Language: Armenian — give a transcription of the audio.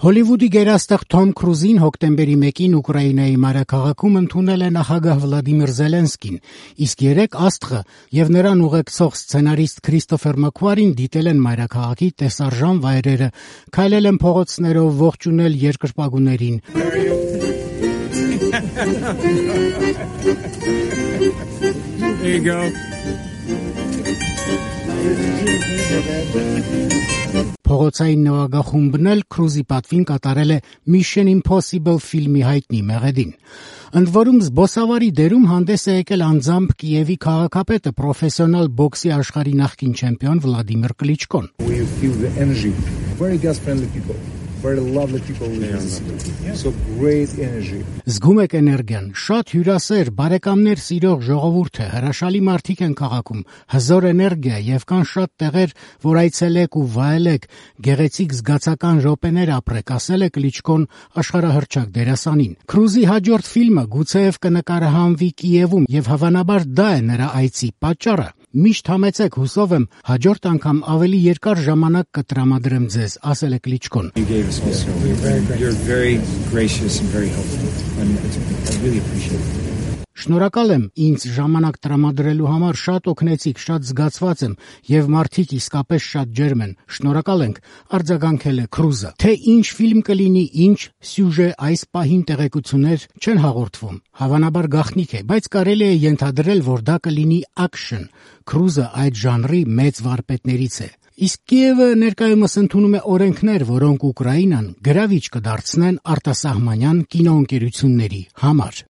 Հոլիվուդի գերաստղ Թոմ Քրուզին հոկտեմբերի 1-ին Ուկրաինայի մայրաքաղաքում ընդունել է նախագահ Վլադիմիր Զելենսկին, իսկ երեկ աստղը եւ նրան ուղեկցող սցենարիստ Քրիստոֆեր Մաքվարին դիտել են մայրաքաղաքի տեսարժան վայրերը, քայլել են փողոցներով, ողջունել երկրպագուներին։ There you go. Փողոցային նվագախումբն էլ Քրուզի պատվին կատարել է Mission Impossible ֆիլմի հայտնի մեղեդին։ Ընդ որում զբոսավարի դերում հանդես է եկել անձամբ Կիևի քաղաքապետը, պրոֆեսիոնալ բոքսի աշխարհի նախկին չեմպիոն Վլադիմիր Կլիչկոն։ We feel the energy. Very gas-friendly people. Very lovely people. So great energy. Զգում եք էներգիան, շատ հյուրասեր, բարեկամներ սիրող ժողովուրդ է, հրաշալի մարդիկ են քաղաքում, հզոր էներգիա եւ կան շատ տեղեր, որ այցելեք ու վայելեք, գեղեցիկ զգացական րոպեներ ապրեք, ասել է Կլիչկոն աշխարհահռչակ դերասանին։ Քրուզի հաջորդ ֆիլմը գուցեև կնկարահանվի Կիևում եւ հավանաբար դա է նրա այցի պատճառը։ Միշտ համեցեք, հուսով եմ, հաջորդ անգամ ավելի երկար ժամանակ կտրամադրեմ ձեզ, ասել է Կլիչկոն։ You're very gracious and very helpful. And I really appreciate it. Շնորհակալ եմ ինձ ժամանակ տրամադրելու համար, շատ օգնեցիք, շատ զգացված եմ եւ մարդիկ իսկապես շատ ջերմ են։ Շնորհակալ ենք, արձագանքել է Քրուզը։ Թե ինչ ֆիլմ կլինի, ինչ սյուժե այս պահին տեղեկություններ չեն հաղորդվում։ Հավանաբար գաղտնիք է, բայց կարելի է ենթադրել, որ դա կլինի ակշն։ Քրուզը այդ ժանրի մեծ վարպետներից է։ Իսկ Կիևը ներկայումս ընդունում է օրենքներ, որոնք Ուկրաինան գրավիչ կդարձնեն արտասահմանյան կինոընկերությունների համար։